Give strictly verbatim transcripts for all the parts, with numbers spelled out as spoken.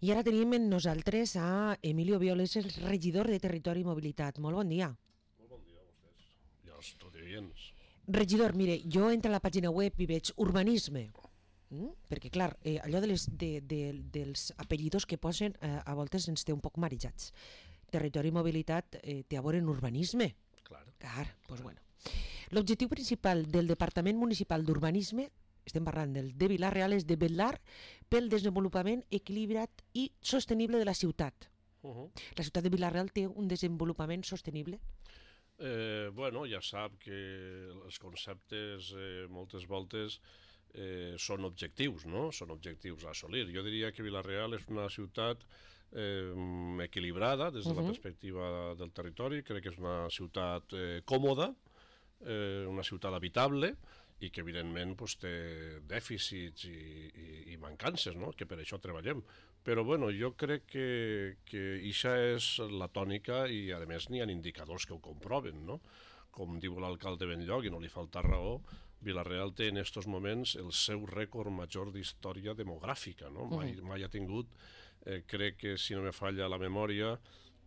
I ara tenim amb nosaltres a Emilio Violes, el regidor de Territori i Mobilitat. Molt bon dia. Molt bon dia a vostès i als radioients. Regidor, mire, jo entro a la pàgina web i veig urbanisme, mm? perquè clar, eh, allò de les, de, de, dels apellidos que posen eh, a voltes ens té un poc marejats. Territori i Mobilitat eh, té a veure en urbanisme. Clar. Clar, doncs bueno. L'objectiu principal del Departament Municipal d'Urbanisme, estem parlant del de Vila-real, és de vetllar pel desenvolupament equilibrat i sostenible de la ciutat. Uh -huh. La ciutat de Vila-real té un desenvolupament sostenible? Eh, bueno, ja sap que els conceptes eh, moltes voltes eh, són objectius, no? Són objectius a assolir. Jo diria que Vila-real és una ciutat eh, equilibrada des de uh -huh. la perspectiva del territori. Crec que és una ciutat eh, còmoda, eh, una ciutat habitable, i que evidentment pues, té dèficits i, i, i mancances, no? Que per això treballem. Però bueno, jo crec que, que això és la tònica i a més n'hi ha indicadors que ho comproven, no? Com diu l'alcalde Benlloc, i no li falta raó, Vila-real té en aquests moments el seu rècord major d'història demogràfica, no? Mai, mai ha tingut, eh, crec que si no me falla la memòria,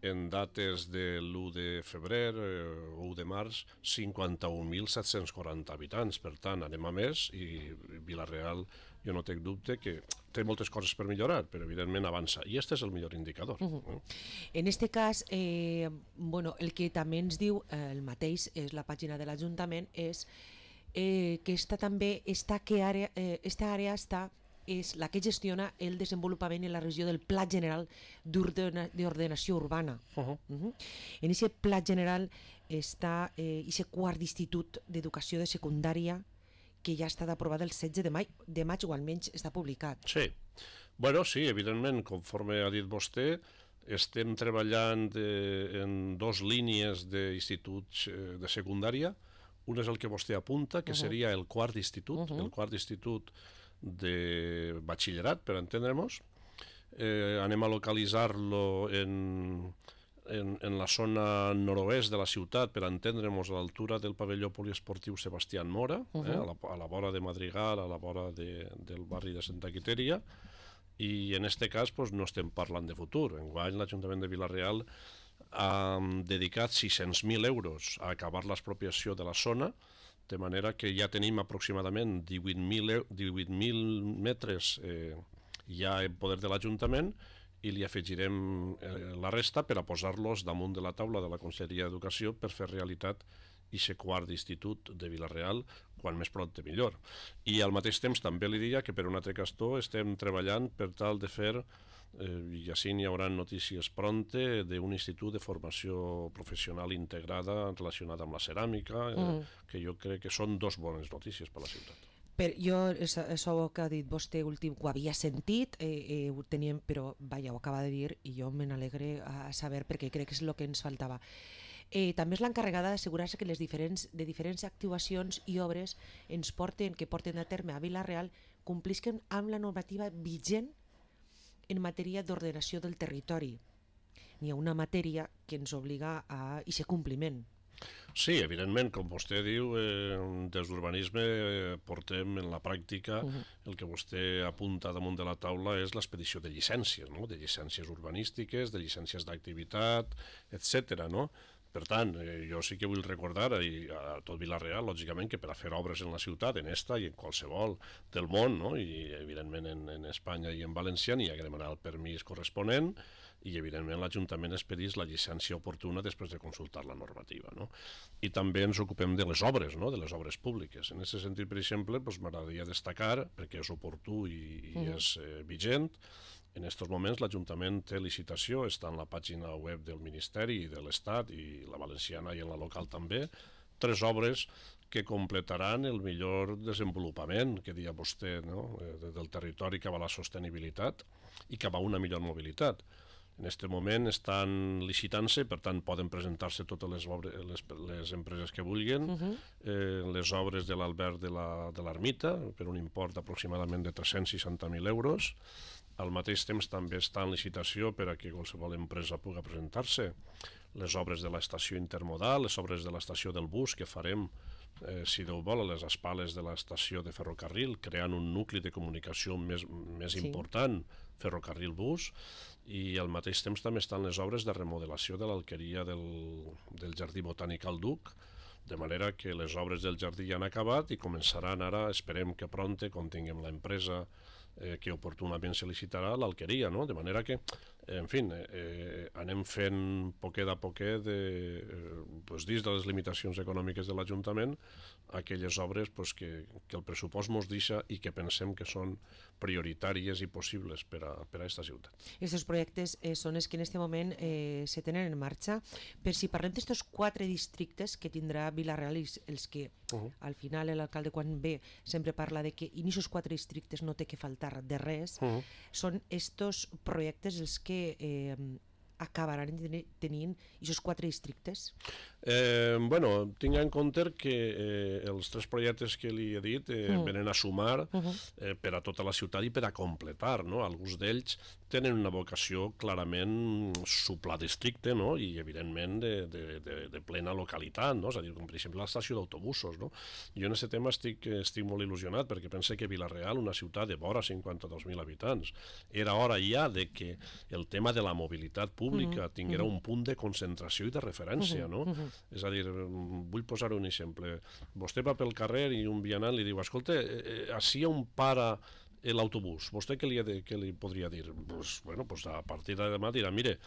en dates de l'u de febrer eh, o u de març, cinquanta-un mil set-cents quaranta habitants. Per tant, anem a més, i Vila-real, jo no tinc dubte que té moltes coses per millorar, però evidentment avança. I aquest és el millor indicador. Uh -huh. En este cas, eh, bueno, el que també ens diu eh, el mateix, és la pàgina de l'Ajuntament, és eh, que esta també, esta, que àrea, eh, esta àrea està és la que gestiona el desenvolupament en la regió del Pla General d'Ordenació Urbana. Uh -huh. Uh -huh. En aquest Pla General està eh, aquest quart d'institut d'educació de secundària que ja ha estat aprovat el setze de maig, de maig o almenys està publicat. Sí, bueno, sí, evidentment, conforme ha dit vostè, estem treballant de, en dos línies d'instituts eh, de secundària. Un és el que vostè apunta, que uh -huh. seria el quart institut, uh -huh. el quart institut de batxillerat, per entendre'ns. Eh, anem a localitzar-lo en, en, en la zona nord-oest de la ciutat, per entendre'ns, a l'altura del pavelló poliesportiu Sebastián Mora, uh -huh. eh, a, la, a la vora de Madrigal, a la vora de, del barri de Santa Quiteria, i en aquest cas pues, no estem parlant de futur. Enguany l'Ajuntament de Vila-real ha dedicat sis-cents mil euros a acabar l'expropiació de la zona, de manera que ja tenim aproximadament divuit mil metres eh, ja en poder de l'Ajuntament, i li afegirem eh, la resta per a posar-los damunt de la taula de la Conselleria d'Educació per fer realitat aquest quart d'institut de Vila-real, quan més pront millor. I al mateix temps també li diria que per un altre cantó estem treballant per tal de fer, eh, i així n'hi haurà notícies pronte, d'un institut de formació professional integrada relacionada amb la ceràmica, eh, mm. que jo crec que són dos bones notícies per a la ciutat. Per, jo, això que ha dit vostè últim, ho havia sentit, eh, eh, ho teníem, però vaja, ho acaba de dir, i jo me n'alegre a saber, perquè crec que és el que ens faltava. Eh, també és l'encarregada d'assegurar-se que les diferents, de diferents actuacions i obres ens porten, que porten a terme a Vila-real, complisquen amb la normativa vigent en matèria d'ordenació del territori. N'hi ha una matèria que ens obliga a aquest compliment. Sí, evidentment, com vostè diu, eh, des d'urbanisme eh, portem en la pràctica, uh -huh. el que vostè apunta damunt de la taula és l'expedició de llicències, no? De llicències urbanístiques, de llicències d'activitat, etcètera, no? Per tant, eh, jo sí que vull recordar i a tot Vila-real, lògicament, que per a fer obres en la ciutat, en esta i en qualsevol del món, no? I evidentment en, en Espanya i en València n'hi ha que demanar el permís corresponent, i evidentment l'Ajuntament expedís la llicència oportuna després de consultar la normativa, no? I també ens ocupem de les obres, no? De les obres públiques. En aquest sentit, per exemple, doncs m'agradaria destacar, perquè és oportú i, i uh-huh. és eh, vigent, en aquests moments l'Ajuntament té licitació, està en la pàgina web del Ministeri i de l'Estat, i la valenciana i en la local també, tres obres que completaran el millor desenvolupament que deia vostè, no? del territori cap a la sostenibilitat i cap a una millor mobilitat. En aquest moment estan licitant-se, per tant poden presentar-se totes les, obres, les, les empreses que vulguin, uh-huh. eh, les obres de l'Albert de l'Ermita, la, per un import aproximadament de tres-cents seixanta mil euros. Al mateix temps també està en licitació per a que qualsevol empresa pugui presentar-se les obres de l'estació intermodal, les obres de l'estació del bus que farem eh, si Déu vol, a les espales de l'estació de ferrocarril, creant un nucli de comunicació més, més Sí. important, ferrocarril-bus, i al mateix temps també estan les obres de remodelació de l'alqueria del, del Jardí Botànic al Duc, de manera que les obres del jardí ja han acabat i començaran ara, esperem que pronte, quan tinguem l'empresa eh, que oportunament se licitarà, l'alqueria, no? De manera que, en fi, eh, anem fent poquet a poquet, de, eh, pues, dins de les limitacions econòmiques de l'Ajuntament, aquelles obres pues, que, que el pressupost mos deixa i que pensem que són prioritàries i possibles per a, per a esta ciutat. Aquests projectes eh, són els que en aquest moment eh, se tenen en marxa. Per si parlem d'estos quatre districtes que tindrà Vila-real, i els que uh -huh. al final l'alcalde quan ve sempre parla de que en aquests quatre districtes no té que faltar de res, uh -huh. són estos projectes els que eh, acabaran tenint aquests quatre districtes? Eh, bueno, tinc en compte que eh, els tres projectes que li he dit eh, mm. venen a sumar uh -huh. eh, per a tota la ciutat i per a completar, no? Alguns d'ells tenen una vocació clarament supladistricte, no? I evidentment de, de, de, de plena localitat, no? És a dir, com per exemple l'estació d'autobusos, no? Jo en aquest tema estic, estic molt il·lusionat perquè pense que Vila-real, una ciutat de vora cinquanta-dos mil habitants, era hora ja de que el tema de la mobilitat pública uh -huh. tinguera uh -huh. un punt de concentració i de referència, no? Uh -huh. És a dir, vull posar un exemple. Vostè va pel carrer i un vianant li diu, escolta, eh, així on para l'autobús, vostè què li, ha de, què li podria dir? Pues, bueno, pues a partir de demà dirà, mire,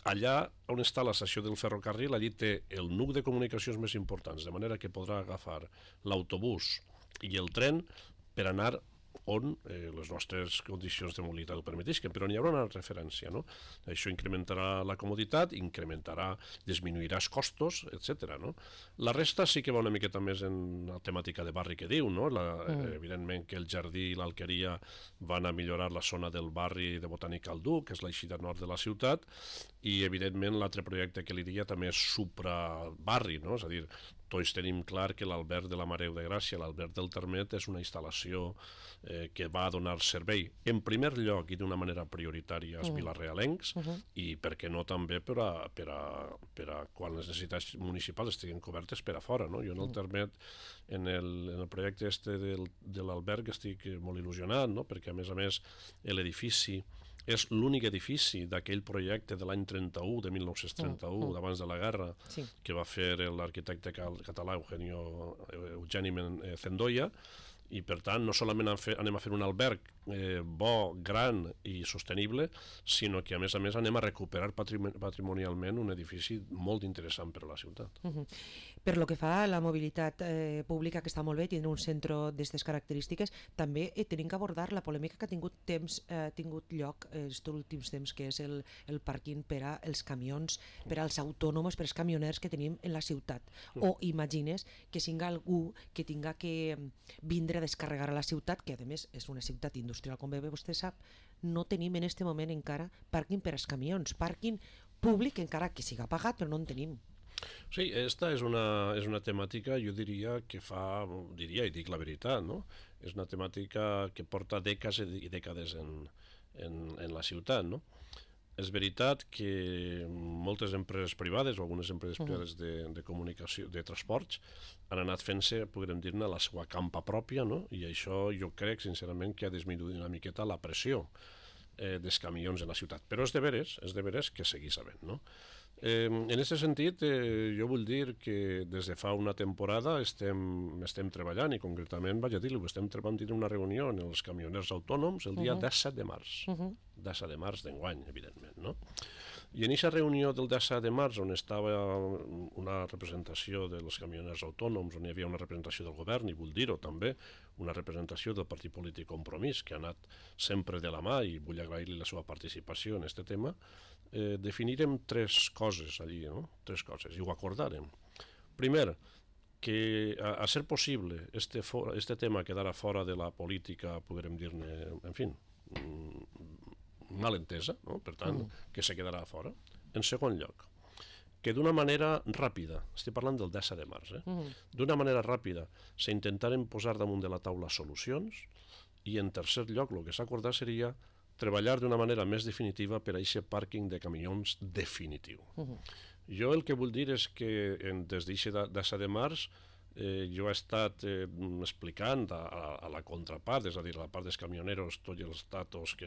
allà on està l'estació del ferrocarril, allí té el nuc de comunicacions més importants, de manera que podrà agafar l'autobús i el tren per anar on eh, les nostres condicions de mobilitat ho permetisquen, però n'hi haurà una referència, no? Això incrementarà la comoditat, incrementarà, disminuirà els costos, etcètera, no? La resta sí que va una miqueta més en la temàtica de barri que diu, no? La, mm. Evidentment que el jardí i l'alqueria van a millorar la zona del barri de Botànic al Duc, que és l'eixida nord de la ciutat, i evidentment l'altre projecte que li diria també és suprabarri, no? És a dir, tots tenim clar que l'Alberg de la Mareu de Gràcia, l'Alberg del Termet, és una instal·lació eh, que va a donar servei, en primer lloc i d'una manera prioritària als mm. vilarealencs, uh -huh. i per què no també per a, per a, per a quan les necessitats municipals estiguin cobertes per a fora, no? Jo en el Termet, en el, en el projecte este del, de l'Alberg, estic molt il·lusionat, no? Perquè a més a més l'edifici és l'únic edifici d'aquell projecte de l'any trenta-u, de mil nou-cents trenta-u, mm, mm. d'abans de la guerra, sí. que va fer l'arquitecte català Eugenio, Eugeni Zendoya, i per tant no solament anem a fer un alberg eh, bo, gran i sostenible, sinó que a més a més anem a recuperar patrimonialment un edifici molt interessant per a la ciutat. Uh -huh. Per lo que fa a la mobilitat eh, pública, que està molt bé, tindre un centre d'aquestes característiques, també eh, tenim que abordar la polèmica que ha tingut temps eh, tingut lloc aquests eh, últims temps, que és el, el pàrquing per als camions, per als autònoms, per als camioners que tenim en la ciutat. Uh -huh. O imagines que singa algú que tinga que vindre a descarregar a la ciutat, que a més és una ciutat industrial, com bé vostè sap, no tenim en aquest moment encara pàrquing per als camions, pàrquing públic encara que siga pagat, però no en tenim. Sí, esta és una, és una temàtica, jo diria, que fa, diria i dic la veritat, no? És una temàtica que porta dècades i dècades en, en, en la ciutat, no? És veritat que moltes empreses privades o algunes empreses privades de, de comunicació, de transports, han anat fent-se, podríem dir-ne, la seva campa pròpia, no? I això jo crec, sincerament, que ha disminuït una miqueta la pressió eh, dels camions en la ciutat. Però és de veres, és de veres que seguís havent, no? Eh, en aquest sentit, eh, jo vull dir que des de fa una temporada estem, estem treballant, i concretament, vaig a dir-ho, estem treballant una reunió amb els camioners autònoms el dia uh -huh. disset de març, uh -huh. disset de març d'enguany, evidentment, no? I en aquesta reunió del disset de març, on estava una representació dels camioners autònoms, on hi havia una representació del govern, i vull dir-ho també, una representació del partit polític Compromís, que ha anat sempre de la mà, i vull agrair-li la seva participació en aquest tema, eh, definirem tres coses allí, no? Tres coses, i ho acordarem. Primer, que a, a ser possible este, for, este tema quedara fora de la política, podrem dir-ne, en fi, mal entesa, no? Per tant, mm. que se quedarà fora. En segon lloc, que d'una manera ràpida, estic parlant del disset de març, eh? mm. d'una manera ràpida s'intentaren posar damunt de la taula solucions, i en tercer lloc el que s'ha acordat seria treballar d'una manera més definitiva per a aquest pàrquing de camions definitiu. Uh -huh. Jo el que vull dir és que en, des d'aquest disset de març eh, jo he estat eh, explicant a, a, a la contrapart, és a dir, a la part dels camioneros, tots els datos, que,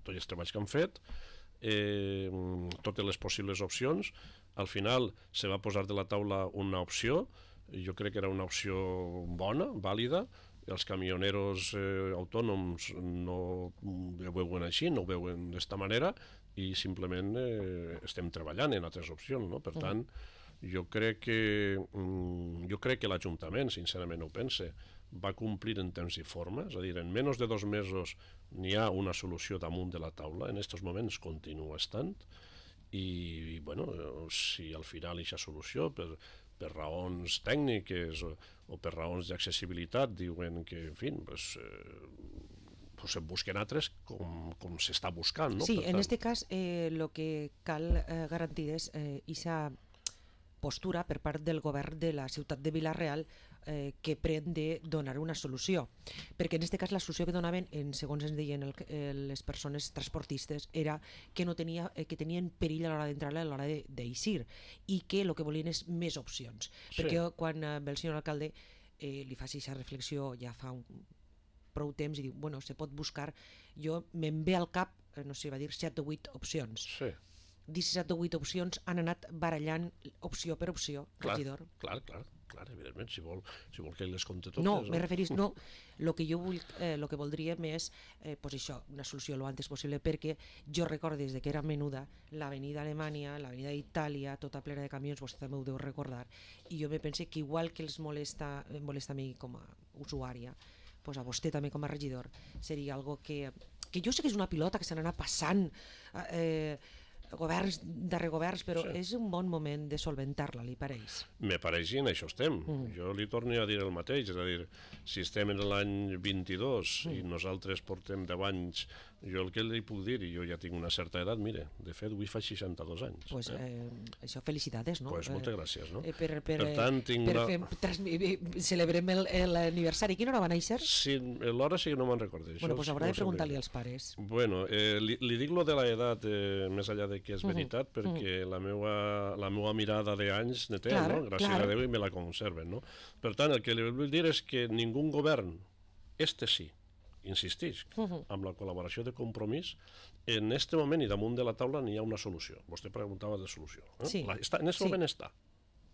tots els treballs que han fet, eh, totes les possibles opcions. Al final se va posar de la taula una opció, jo crec que era una opció bona, vàlida. Els camioneros eh, autònoms no ho veuen així, no ho veuen d'esta manera, i simplement eh, estem treballant en altres opcions, no? Per tant, jo crec que jo crec que l'Ajuntament, sincerament ho pense, va complir en temps i forma, és a dir, en menys de dos mesos n'hi ha una solució damunt de la taula, en aquests moments continua estant, i, bueno, si al final aquesta solució, per, per raons tècniques o, o per raons d'accessibilitat, diuen que, en fi, pues, eh, pues se busquen altres com, com s'està buscant, no? Sí, Per en tant, este cas eh, lo que cal eh, garantir és eh, esa postura per part del govern de la ciutat de Vila-real eh, que pren de donar una solució, perquè en aquest cas la solució que donaven, en, segons ens deien el, el, les persones transportistes, era que no tenia, eh, que tenien perill a l'hora d'entrar i a l'hora d'eixir, i que el que volien és més opcions, Sí. perquè quan eh, ve el senyor alcalde eh, li faci aquesta reflexió ja fa un, prou temps i diu, bueno, se pot buscar, jo me'n ve al cap, eh, no sé, va dir set o vuit opcions. sí, disset o vuit opcions han anat barallant opció per opció, clar, regidor. clar, clar, clar, evidentment, si vol, si vol que les compte totes. No, me referís, no, el que jo vull, eh, lo que voldríem és, eh, pues això, una solució lo antes possible, perquè jo recordo des de que era menuda, l'avenida Alemanya, l'avenida Itàlia, tota plena de camions, vostè també ho deu recordar, i jo me pense que igual que els molesta, em molesta a mi com a usuària, pues a vostè també com a regidor, seria algo que, que jo sé que és una pilota que se n'anà passant, eh, governs darrere governs, però Sí. és un bon moment de solventar-la, li pareix? Me pareix i en això estem. Mm. Jo li torno a dir el mateix, és a dir, si estem en l'any vint-i-dos mm. i nosaltres portem deu anys, jo el que li puc dir, i jo ja tinc una certa edat, mire, de fet, avui fa seixanta-dos anys. Pues, eh? eh, això, felicitats, no? Pues moltes gràcies, no? Eh, per, per, Per tant, tinc per una... fer, transmi... celebrem el- l'aniversari. Quina hora va néixer? Sí, l'hora sí que no me'n recordo. Bueno, pues haurà no de preguntar-li als pares. Bueno, eh, li, li dic lo de l'edat, eh, més enllà de que és veritat, uh -huh. perquè uh -huh. la, meua, la meua mirada d'anys ne té, Clar, no? Gràcies clar. a Déu, i me la conserven, no? Per tant, el que li vull dir és que ningú govern, este sí, insistix, uh -huh. amb la col·laboració de Compromís, en este moment i damunt de la taula n'hi ha una solució. Vostè preguntava de solució. Eh? Sí. La, està, en aquest Sí. moment està.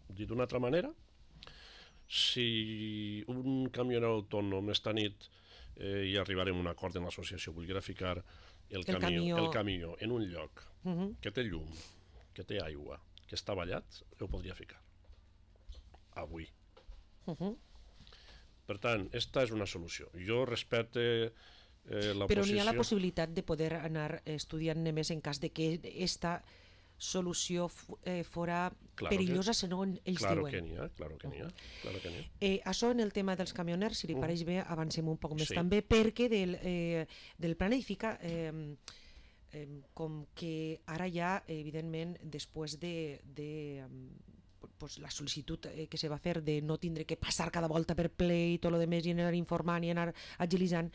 Dit d'una altra manera, si un camioner autònom esta nit eh, i arribarem a un acord en l'associació, volguera ficar el, El camió, camió. el camió en un lloc Uh -huh. que té llum, que té aigua, que està ballat, ho podria ficar. Avui. Uh -huh. Per tant, esta és una solució. Jo respecte eh, la Però posició... n'hi ha la possibilitat de poder anar estudiant més en cas de que esta solució eh, fora Claro perillosa, que- segons ells Claro diuen. que n'hi ha, claro que n'hi ha, claro que n'hi ha. Eh, això en el tema dels camioners, si li pareix bé, avancem un poc més Sí. també, perquè del, eh, del plan edifica, eh, eh, com que ara ja, evidentment, després de, de em, pues, la sol·licitud eh, que se va fer de no tindre que passar cada volta per ple i tot lo demés i anar informant i anar agilitzant,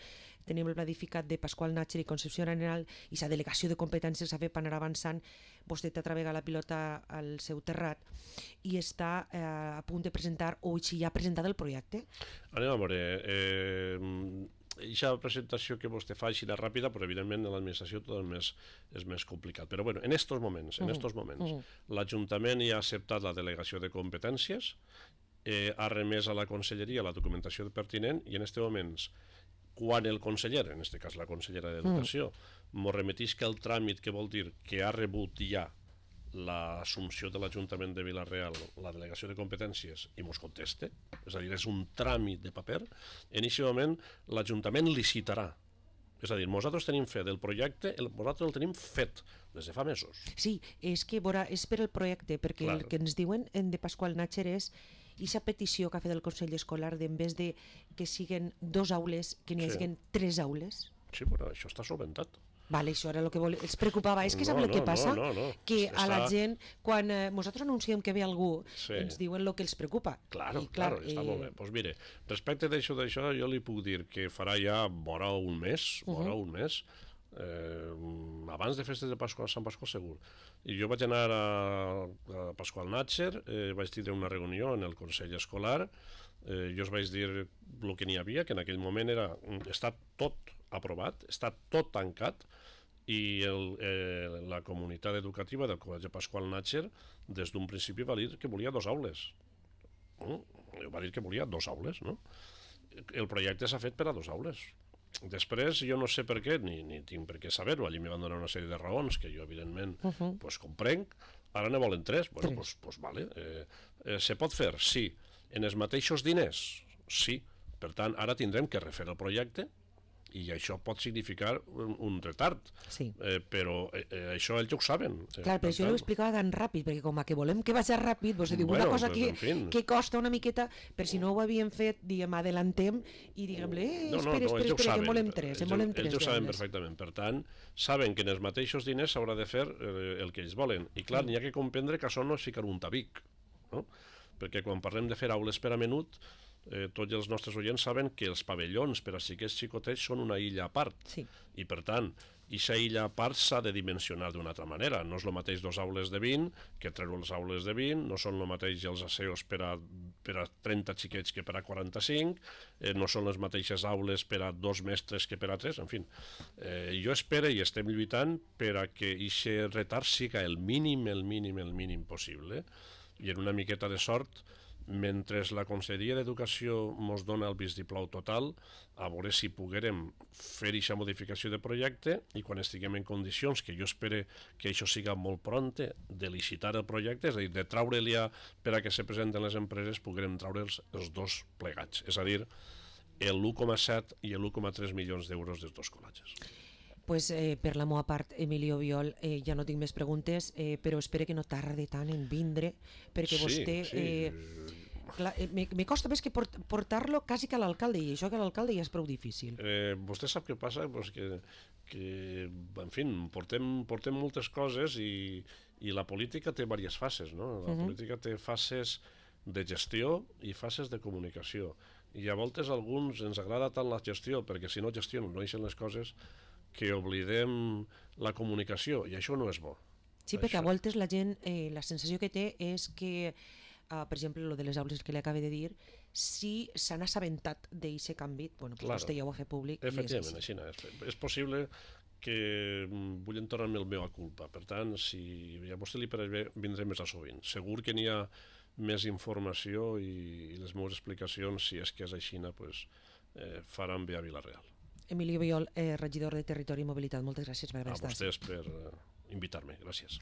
tenim el planificat de Pasqual Natcher i Concepció Arenal i la delegació de competències s'ha fet per anar avançant. Vostè t'atrevega la pilota al seu terrat i està eh, a punt de presentar, o si ja ha presentat el projecte? Anem a veure, eh, aquesta presentació que vostè fa així de ràpida, però evidentment en l'administració tot és més, és més complicat. Però bueno, en estos moments, en estos moments, uh -huh. l'Ajuntament ja ha acceptat la delegació de competències, eh, ha remès a la Conselleria la documentació pertinent i en estos moments, quan el conseller, en aquest cas la consellera d'Educació, mm. m'ho remetisca el tràmit, que vol dir que ha rebut ja l'assumpció de l'Ajuntament de Vila-real, la delegació de competències, i mos conteste, és a dir, és un tràmit de paper, en aquest moment l'Ajuntament licitarà. És a dir, nosaltres tenim fet del projecte, el, nosaltres el tenim fet des de fa mesos. Sí, és que veurà, és per el projecte, perquè Clar. el que ens diuen en de Pasqual Natcher és aquesta petició que ha fet el Consell Escolar d'en vez de que siguen dos aules, que n'hi Sí. hagin tres aules. Sí, però això està solventat. Vale, això era el que vol... els preocupava. És que sap No, el que no, passa? no, no, no. Que a la Està- gent, quan eh, nosaltres anunciem que ve algú, Sí. ens diuen el que els preocupa. Claro, I, claro, està eh, molt bé. Doncs mire, respecte d'això, d'això, jo li puc dir que farà ja vora un mes, vora un mes, eh, abans de festes de Pasqual, Sant Pasqual segur. I jo vaig anar a, a Pasqual Natcher, eh, vaig tindre una reunió en el Consell Escolar Eh, jo us vaig dir el que n'hi havia, que en aquell moment era, està tot aprovat, està tot tancat, i el, eh, la comunitat educativa del Col·legi Pasqual Natxer des d'un principi va dir que volia dos aules. No? Va dir que volia dos aules, no? El projecte s'ha fet per a dos aules. Després, jo no sé per què, ni, ni tinc per què saber-ho, allí me van donar una sèrie de raons que jo, evidentment, uh -huh. pues, comprenc. Ara ne volen tres. Bueno, pues, pues vale. Eh, eh, se pot fer? Sí. En els mateixos diners? Sí. Per tant, ara tindrem que refer el projecte i això pot significar un, un retard. Sí. Eh, però eh, eh, això ells ho saben. Clar, però això ho explicava tan ràpid, perquè com que volem que vagi ràpid, doncs diu bueno, una cosa pues, que, en fin. que costa una miqueta, per si no ho havien fet, diguem, adelantem i diguem-li, eh, no, no, espera, no, espera, espera, que en volem tres, en volem tres. Ells ho saben perfectament, per tant, saben que en els mateixos diners s'haurà de fer eh, el que ells volen. I clar, mm. n'hi ha que comprendre que això no és ficar un tabic, no? Perquè quan parlem de fer aules per a menut, Eh, tots els nostres oients saben que els pavellons per a xiquets xicotets són una illa a part, sí. i per tant, aquesta illa a part s'ha de dimensionar d'una altra manera. No és el mateix dos aules de vint que treure les aules de vint, no són el mateix els aseos per a, per a trenta xiquets que per a quaranta-cinc, eh, no són les mateixes aules per a dos mestres que per a tres, en fi. Eh, jo espero i estem lluitant per a que aquest retard siga el mínim, el mínim, el mínim possible, i en una miqueta de sort, mentre la Conselleria d'Educació ens dona el vistiplau total, a veure si poguérem fer aquesta modificació de projecte i quan estiguem en condicions, que jo espero que això siga molt pronte, de licitar el projecte, és a dir, de traure-li per a que se presenten les empreses, poguérem treure'ls els dos plegats, és a dir, l'u coma set i l'u coma tres milions d'euros dels dos col·legis. Pues, eh, per la meva part, Emilio Biol, eh, ja no tinc més preguntes, eh, però espero que no tardi tant en vindre, perquè sí, vostè... Sí. Eh, clar, eh, me, me costa més que port, portar-lo quasi que a l'alcalde, i això que a l'alcalde ja és prou difícil. Eh, vostè sap què passa? Pues que, que, en fi, portem, portem moltes coses i, i la política té diverses fases, no? La uh -huh. política té fases de gestió i fases de comunicació. I a voltes a alguns ens agrada tant la gestió, perquè si no gestionen, no deixen les coses, que oblidem la comunicació, i això no és bo. Sí, perquè això. A voltes la gent, eh, la sensació que té és que, uh, per exemple, lo de les aules que li acaba de dir, si s'han assabentat d'aquest canvi, bueno, pues claro. Vostè ja ho ha fet públic. Efectivament, així no. És, és possible que vull tornar-me el meu a culpa, per tant, si a vostè li pareix bé, vindré més a sovint. Segur que n'hi ha més informació i, i les meves explicacions, si és que és així, pues, eh, faran bé a Vila-real. Emilio Biol, eh, regidor de Territori i Mobilitat, moltes gràcies per haver estat. A vostès per uh, invitar-me, gràcies.